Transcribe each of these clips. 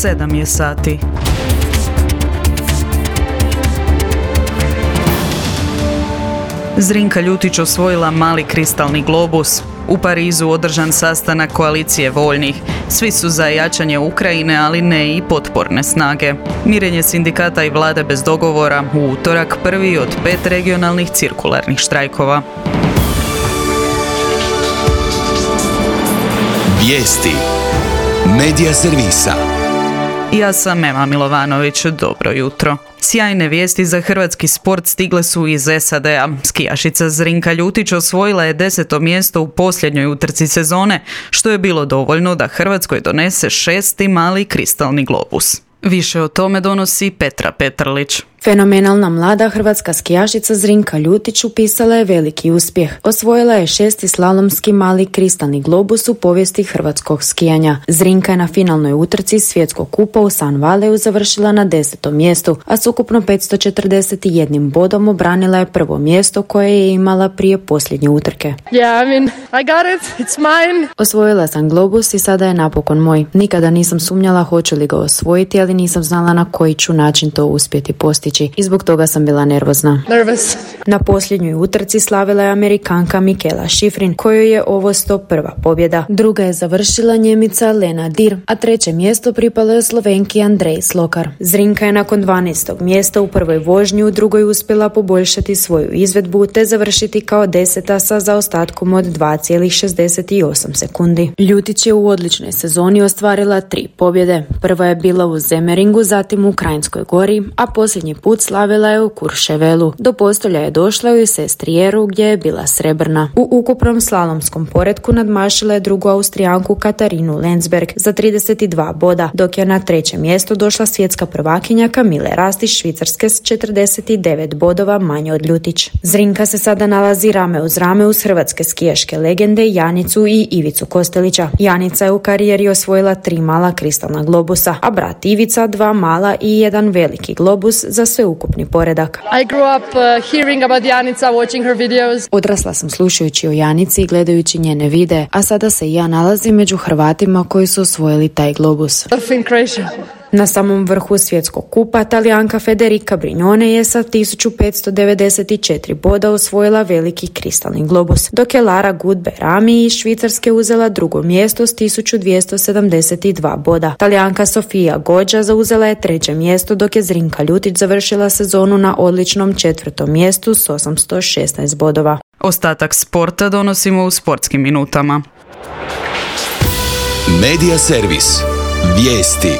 7 je sati. Zrinka Ljutić osvojila mali kristalni globus. U Parizu održan sastanak koalicije voljnih. Svi su za jačanje Ukrajine, ali ne i potporne snage. Mirenje sindikata i vlade bez dogovora u utorak, prvi od 5 regionalnih cirkularnih štrajkova. Vijesti Medija servisa. Ja sam Ema Milovanović, dobro jutro. Sjajne vijesti za hrvatski sport stigle su iz SAD-a. Skijašica Zrinka Ljutić osvojila je 10. mjesto u posljednjoj utrci sezone, što je bilo dovoljno da Hrvatskoj donese 6. mali kristalni globus. Više o tome donosi Petra Petrlić. Fenomenalna mlada hrvatska skijašica Zrinka Ljutić upisala je veliki uspjeh. Osvojila je 6. slalomski mali kristalni globus u povijesti hrvatskog skijanja. Zrinka je na finalnoj utrci svjetskog kupa u San Valeu završila na 10. mjestu, a s ukupno 541 bodom obranila je prvo mjesto koje je imala prije posljednje utrke. I got it. It's mine. Osvojila sam globus i sada je napokon moj. Nikada nisam sumnjala hoću li ga osvojiti, ali nisam znala na koji ću način to uspjeti postići. I zbog toga sam bila nervozna. Na posljednjoj utrci slavila je Amerikanka Mikaela Shiffrin, kojoj je ovo 101. pobjeda. Druga je završila Njemica Lena Dir, a 3. mjesto pripalo je Slovenki Andrej Slokar. Zrinka je nakon 12. mjesta u prvoj vožnji u drugoj uspjela poboljšati svoju izvedbu te završiti kao 10. sa zaostatkom od 2,68 sekundi. Ljutić je u odličnoj sezoni ostvarila 3 pobjede. Prva je bila u Zemeringu, zatim u Krajinskoj gori, a posljednji put slavila je u Kurševelu. Do postolja je došla u Sestrijeru gdje je bila srebrna. U ukupnom slalomskom poretku nadmašila je drugu Austrijanku Katarinu Lensberg za 32 boda, dok je na 3. mjesto došla svjetska prvakinja Kamile Rasti Švicarske s 49 bodova manje od Ljutić. Zrinka se sada nalazi rame uz rame uz hrvatske skijaške legende Janicu i Ivicu Kostelića. Janica je u karijeri osvojila 3 mala kristalna globusa, a brat Ivica 2 mala i 1 veliki globus za sveukupni poredak. I grew up hearing about Janica, watching her videos. Odrasla sam slušajući o Janici i gledajući njene videe, a sada se i ja nalazim među Hrvatima koji su osvojili taj globus. Na samom vrhu svjetskog kupa Talijanka Federica Brignone je sa 1594 boda osvojila veliki kristalni globus, dok je Lara Gut-Berami iz Švicarske uzela drugo mjesto s 1272 boda. Talijanka Sofia Goggia zauzela je 3. mjesto, dok je Zrinka Ljutić završila sezonu na odličnom 4. mjestu s 816 bodova. Ostatak sporta donosimo u sportskim minutama. Medija servis. Vijesti.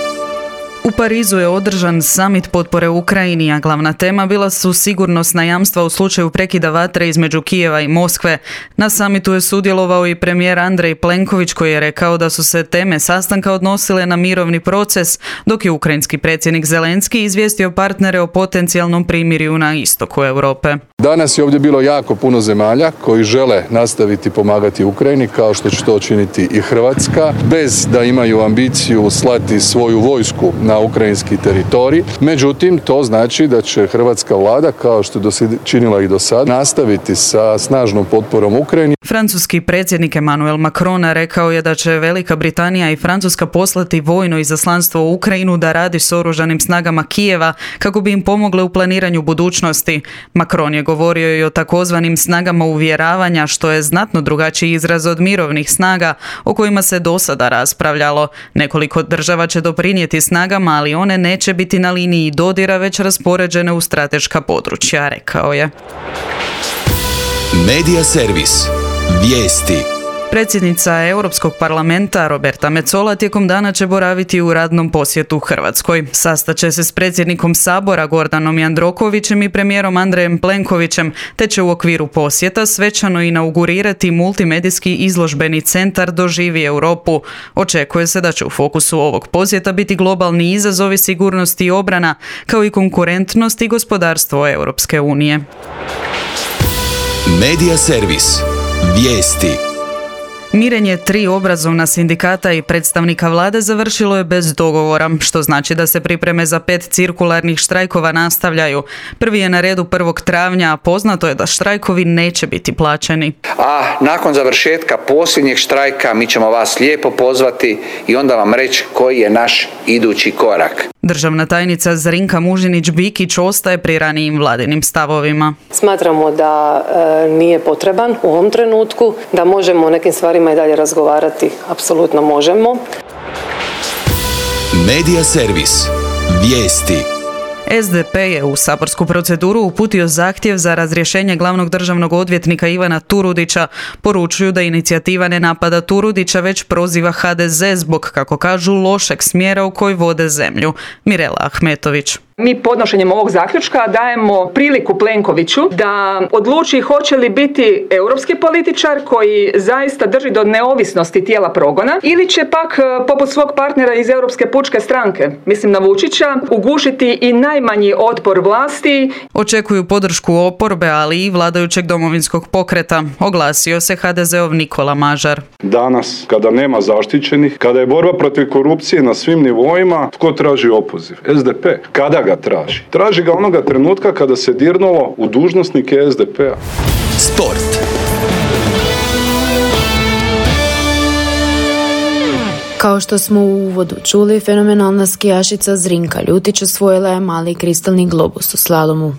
U Parizu je održan samit potpore Ukrajini, a glavna tema bila su sigurnosna jamstva u slučaju prekida vatre između Kijeva i Moskve. Na samitu je sudjelovao i premijer Andrej Plenković, koji je rekao da su se teme sastanka odnosile na mirovni proces, dok je ukrajinski predsjednik Zelenski izvijestio partnere o potencijalnom primirju na istoku Europe. Danas je ovdje bilo jako puno zemalja koji žele nastaviti pomagati Ukrajini, kao što će to činiti i Hrvatska, bez da imaju ambiciju slati svoju vojsku na ukrajinski teritorij. Međutim, to znači da će hrvatska vlada, kao što je činila i do sada, nastaviti sa snažnom potporom Ukrajini. Francuski predsjednik Emmanuel Macron rekao je da će Velika Britanija i Francuska poslati vojno izaslanstvo u Ukrajinu da radi s oružanim snagama Kijeva kako bi im pomogle u planiranju budućnosti. Macron je govorio i o takozvanim snagama uvjeravanja, što je znatno drugačiji izraz od mirovnih snaga o kojima se do sada raspravljalo. Nekoliko država će doprinijeti snagama, ali one neće biti na liniji dodira, već raspoređene u strateška područja, rekao je. Medija servis. Vijesti. Predsjednica Europskog parlamenta Roberta Metsola tijekom dana će boraviti u radnom posjetu Hrvatskoj. Sastaće se s predsjednikom Sabora Gordanom Jandrokovićem i premijerom Andrejem Plenkovićem, te će u okviru posjeta svečano inaugurirati multimedijski izložbeni centar Doživi Europu. Očekuje se da će u fokusu ovog posjeta biti globalni izazovi sigurnosti i obrana, kao i konkurentnost i gospodarstvo Europske unije. Medija servis. Vijesti. Mirenje 3 obrazovna sindikata i predstavnika vlade završilo je bez dogovora, što znači da se pripreme za 5 cirkularnih štrajkova nastavljaju. Prvi je na redu 1. travnja, a poznato je da štrajkovi neće biti plaćeni. A nakon završetka posljednjeg štrajka mi ćemo vas lijepo pozvati i onda vam reći koji je naš idući korak. Državna tajnica Zrinka Mužinić-Bikić ostaje pri ranijim vladinim stavovima. Smatramo da nije potreban u ovom trenutku, da možemo o nekim stvarima i dalje razgovarati. Apsolutno možemo. Medija servis. Vijesti. SDP je u saborsku proceduru uputio zahtjev za razrješenje glavnog državnog odvjetnika Ivana Turudića. Poručuju da inicijativa ne napada Turudića, već proziva HDZ zbog, kako kažu, lošeg smjera u koji vode zemlju. Mirela Ahmetović. Mi podnošenjem ovog zaključka dajemo priliku Plenkoviću da odluči hoće li biti europski političar koji zaista drži do neovisnosti tijela progona ili će pak, poput svog partnera iz Europske pučke stranke, mislim na Vučića, ugušiti i najmanji otpor vlasti. Očekuju podršku oporbe, ali i vladajućeg Domovinskog pokreta. Oglasio se HDZ-ov Nikola Mažar. Danas, kada nema zaštićenih, kada je borba protiv korupcije na svim nivoima, tko traži opoziv? SDP. Kada ga traži? Traži ga onoga trenutka kada se dirnulo u dužnosnike SDP-a. Sport. Kao što smo u uvodu čuli, fenomenalna skijašica Zrinka Ljutić osvojila je mali kristalni globus u slalomu.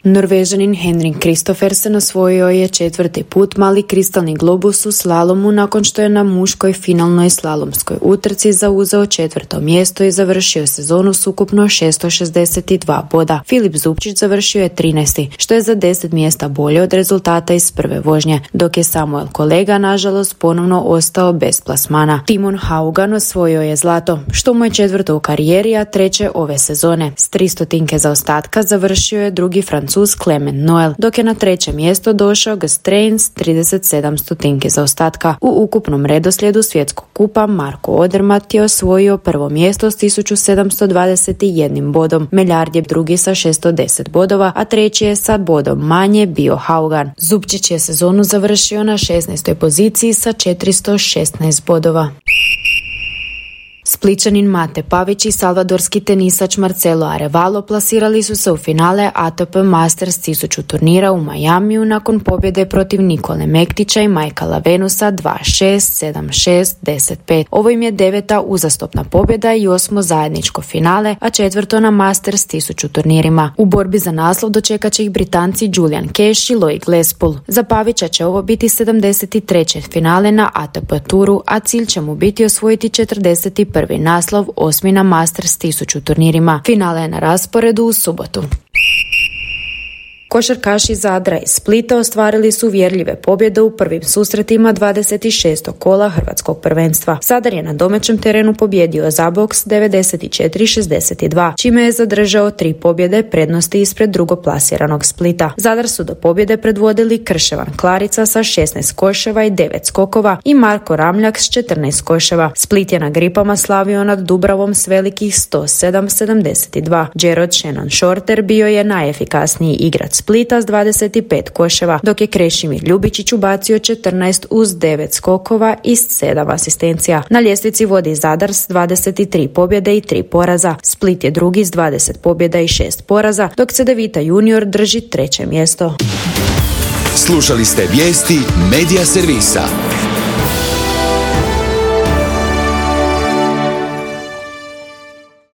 Norvežanin Henrik Kristoffersen osvojio je 4. put mali kristalni globus u slalomu nakon što je na muškoj finalnoj slalomskoj utrci zauzeo 4. mjesto i završio sezonu s ukupno 662 boda. Filip Zupčić završio je 13. što je za 10 mjesta bolje od rezultata iz prve vožnje, dok je Samuel Kolega nažalost ponovno ostao bez plasmana. Timon Haugan osvojio je zlato, što mu je 4. u karijeri, a 3. ove sezone. S 300 zaostatka završio je drugi Francuz Clement Noel, dok je na 3. mjesto došao Gastrein s 37 zaostatka. U ukupnom redoslijedu svjetskog kupa Marko Odermatt je osvojio 1. mjesto s 1721 bodom. Meljard je drugi sa 610 bodova, a 3. je sa bodom manje bio Haugan. Zupčić je sezonu završio na 16. poziciji sa 416 bodova. Splićanin Mate Pavić i salvadorski tenisač Marcelo Arevalo plasirali su se u finale ATP Masters 1000 turnira u Majamiju nakon pobjede protiv Nikole Mektića i Michaela Venusa 2-6, 7-6, 10-5. Ovo im je 9. uzastopna pobjeda i 8. zajedničko finale, a 4. na Masters 1000 turnirima. U borbi za naslov dočekat će ih Britanci Julian Cash i Loic Lespoul. Za Pavića će ovo biti 73. finale na ATP turu, a cilj će mu biti osvojiti 41. naslov, 8. na Masters 1000 turnirima. Finale je na rasporedu u subotu. Košarkaši Zadra i Splita ostvarili su uvjerljive pobjede u prvim susretima 26. kola hrvatskog prvenstva. Zadar je na domaćem terenu pobjedio Zaboks 94-62, čime je zadržao 3 pobjede prednosti ispred drugoplasiranog Splita. Zadar su do pobjede predvodili Krševan Klarica sa 16 koševa i 9 skokova i Marko Ramljak s 14 koševa. Split je na gripama slavio nad Dubravom s velikih 107-72. Gerard Shannon Shorter bio je najefikasniji igrač Splita s 25 koševa, dok je Krešimir Ljubičić ubacio 14 uz 9 skokova i 7 asistencija. Na ljestvici vodi Zadar s 23 pobjede i 3 poraza. Split je drugi s 20 pobjeda i 6 poraza, dok Cedevita Junior drži 3. mjesto. Slušali ste vijesti Medija servisa.